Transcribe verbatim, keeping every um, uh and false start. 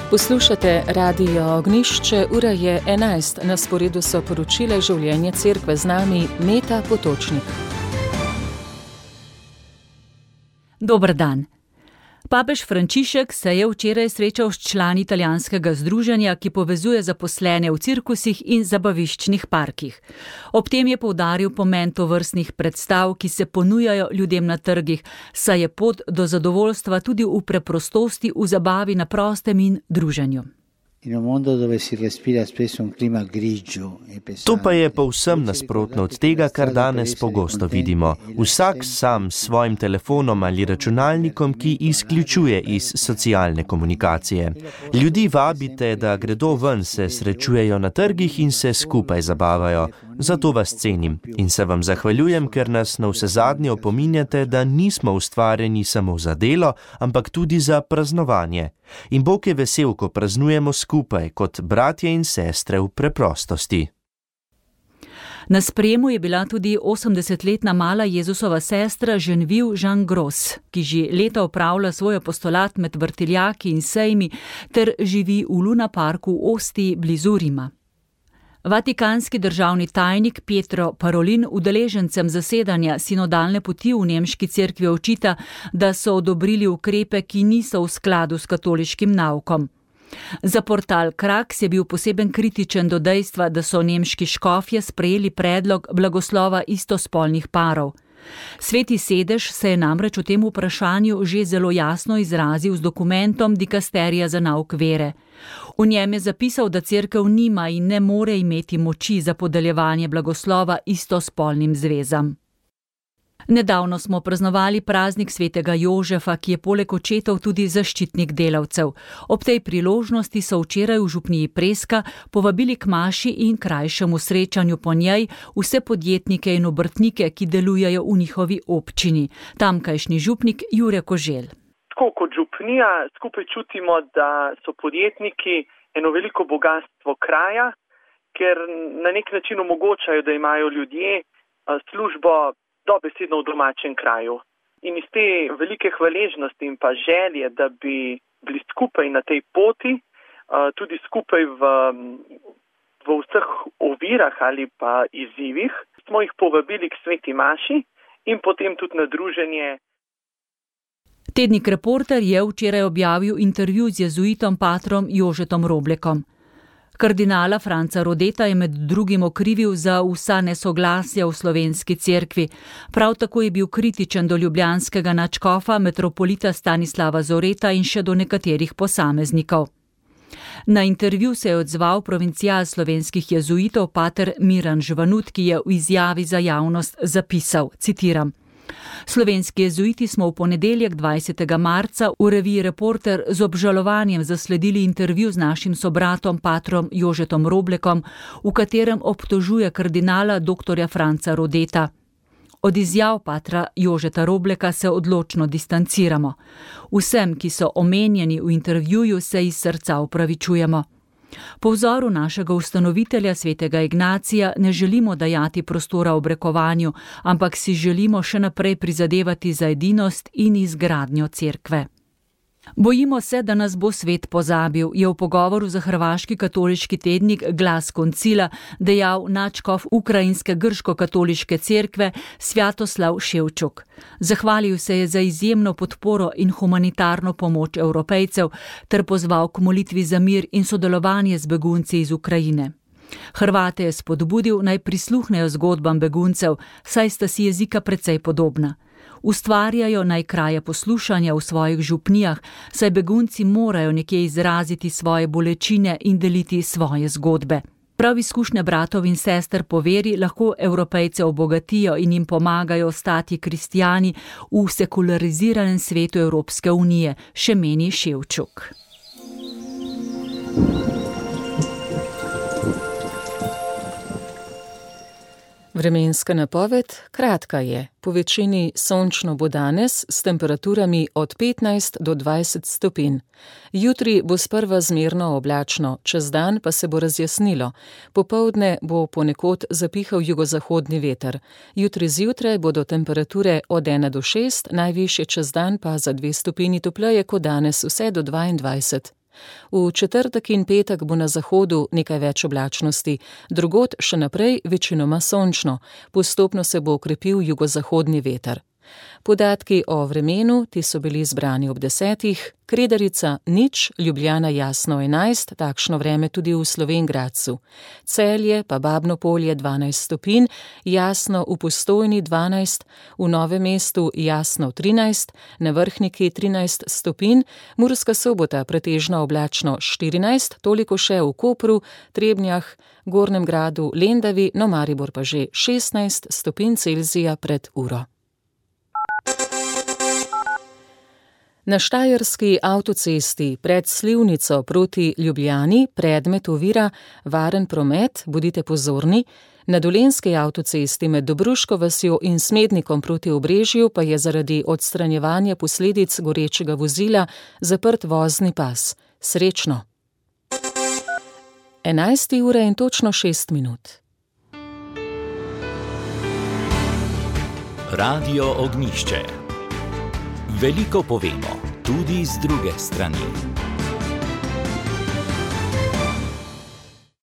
Poslušate Radio Ognjišče, ura je enajst, na sporedu so poročila življenja cerkve, z nami Meta Potočnik. Dober dan. Papež Frančišek se je včeraj srečal s člani italijanskega združenja, ki povezuje zaposlene v cirkusih in zabaviščnih parkih. Ob tem je poudaril pomen tovrstnih predstav, ki se ponujajo ljudem na trgih, saj je pot do zadovoljstva tudi v preprostosti, v zabavi na prostem in druženju. To pa je povsem nasprotno od tega, kar danes pogosto vidimo. Vsak sam s svojim telefonom ali računalnikom, ki izključuje iz socialne komunikacije. Ljudi vabite, da gredo ven, se srečujejo na trgih in se skupaj zabavajo. Zato vas cenim in se vam zahvaljujem, ker nas navsezadnje opominjate, da nismo ustvarjeni samo za delo, ampak tudi za praznovanje. In Bog je vesel, ko praznujemo skupaj, kot bratje in sestre v preprostosti. Na sprejemu je bila tudi osemdesetletna mala Jezusova sestra Genevieve Jean Gros, ki že leta opravlja svoj apostolat med vrtiljaki in sejmi ter živi v Luna Parku v Ostii blizu Rima. Vatikanski državni tajnik Pietro Parolin udeležencem zasedanja sinodalne poti v nemški cerkvi očita, da so odobrili ukrepe, ki niso v skladu s katoliškim naukom. Za portal Kraks je bil poseben kritičen do dejstva, da so nemški škofje sprejeli predlog blagoslova istospolnih parov. Sveti sedež se je namreč o tem vprašanju že zelo jasno izrazil z dokumentom Dikasterija za nauk vere. V njem je zapisal, da cerkev nima in ne more imeti moči za podeljevanje blagoslova istospolnim zvezam. Nedavno smo praznovali praznik svetega Jožefa, ki je poleg očetov tudi zaščitnik delavcev. Ob tej priložnosti so včeraj v župniji Preska povabili k maši in krajšemu srečanju po njej vse podjetnike in obrtnike, ki delujejo v njihovi občini. Tamkajšnji župnik Jure Koželj. Tako kot župnija skupaj čutimo, da so podjetniki eno veliko bogatstvo kraja, ker na nek način omogočajo, da imajo ljudje službo dobesedno v domačem kraju. In iz te velike hvaležnosti in pa želje, da bi bili skupaj na tej poti, tudi skupaj v, v vseh ovirah ali pa izzivih, smo jih povabili k sveti maši in potem tudi na druženje. Tednik Reporter je včeraj objavil intervju z jezuitom patrom Jožetom Roblekom. Kardinala Franca Rodeta je med drugim okrivil za vsa nesoglasja v slovenski cerkvi. Prav tako je bil kritičen do ljubljanskega nadškofa metropolita Stanislava Zoreta in še do nekaterih posameznikov. Na intervju se je odzval provincial slovenskih jezuitov pater Miran Žvanut, ki je v izjavi za javnost zapisal, citiram: Slovenski jezuiti smo v ponedeljek dvajsetega marca v reviji Reporter z obžalovanjem zasledili intervju z našim sobratom patrom Jožetom Roblekom, v katerem obtožuje kardinala doktorja Franca Rodeta. Od izjav patra Jožeta Robleka se odločno distanciramo. Vsem, ki so omenjeni v intervjuju, se iz srca opravičujemo. Po vzoru našega ustanovitelja svetega Ignacija ne želimo dajati prostora obrekovanju, ampak si želimo še naprej prizadevati za edinost in izgradnjo cerkve. Bojimo se, da nas bo svet pozabil, je v pogovoru za hrvaški katoliški tednik Glas koncila dejal nadškof ukrajinske grško-katoliške cerkve Svjatoslav Ševčuk. Zahvalil se je za izjemno podporo in humanitarno pomoč Evropejcev ter pozval k molitvi za mir in sodelovanje z begunci iz Ukrajine. Hrvate je spodbudil, naj prisluhnejo zgodbam beguncev, saj sta si jezika precej podobna. Ustvarjajo naj kraje poslušanja v svojih župnijah, saj begunci morajo nekje izraziti svoje bolečine in deliti svoje zgodbe. Prav izkušnje bratov in sester po veri lahko Evropejce obogatijo in jim pomagajo ostati kristijani v sekulariziranem svetu Evropske unije, še meni Ševčuk. Vremenska napoved kratka je. Po večini sončno bo danes s temperaturami od petnajst do dvajset stopinj. Jutri bo sprva zmerno oblačno, čez dan pa se bo razjasnilo. Popoldne bo ponekod zapihal jugozahodni veter. Jutri zjutraj bodo temperature od ena do šest, najvišje čez dan pa za dve stopinji topleje kot danes, vse do dvaindvajset. V četrtek in petek bo na zahodu nekaj več oblačnosti, drugod še naprej večinoma sončno, postopno se bo okrepil jugozahodni veter. Podatki o vremenu, ti so bili zbrani ob desetih, Kredarica nič, Ljubljana jasno enajst, takšno vreme tudi v Slovenj Gradcu. Celje pa Babno Polje dvanajst stopinj, jasno v Postojni dvanajst, v Novem mestu jasno trinajst, na Vrhniki trinajst stopinj, Murska Sobota pretežno oblačno štirinajst, toliko še v Kopru, Trebnjah, Gornjem Gradu, Lendavi, no Maribor pa že šestnajst stopinj Celzija pred uro. Na štajerski avtocesti pred Slivnico proti Ljubljani predmet ovira varen promet, bodite pozorni. Na dolenjski avtocesti med Dobruško vasjo in Smednikom proti Obrežju pa je zaradi odstranjevanja posledic gorečega vozila zaprt vozni pas. Srečno! enajsta ura in točno šest minut. Radio Ognjišče. Veliko povemo, tudi z druge strani.